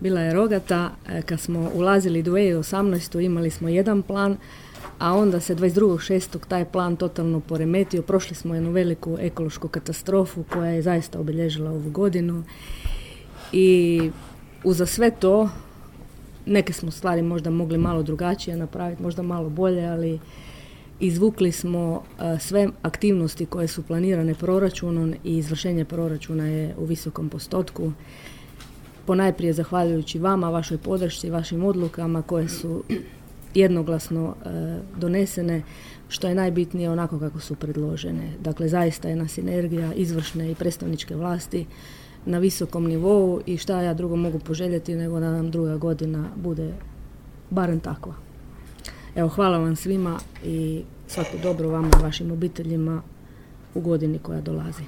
bila je rogata. Kad smo ulazili u 2018. imali smo jedan plan, a onda se 22.6. taj plan totalno poremetio. Prošli smo jednu veliku ekološku katastrofu koja je zaista obilježila ovu godinu. I uza sve to, neke smo stvari možda mogli malo drugačije napraviti, možda malo bolje, ali izvukli smo sve aktivnosti koje su planirane proračunom i izvršenje proračuna je u visokom postotku. Ponajprije zahvaljujući vama, vašoj podršci, vašim odlukama koje su jednoglasno donesene, što je najbitnije onako kako su predložene. Dakle, zaista je jedna sinergija izvršne i predstavničke vlasti na visokom nivou i šta ja drugo mogu poželjeti nego da nam druga godina bude barem takva. Evo, hvala vam svima i svako dobro vama i vašim obiteljima u godini koja dolazi.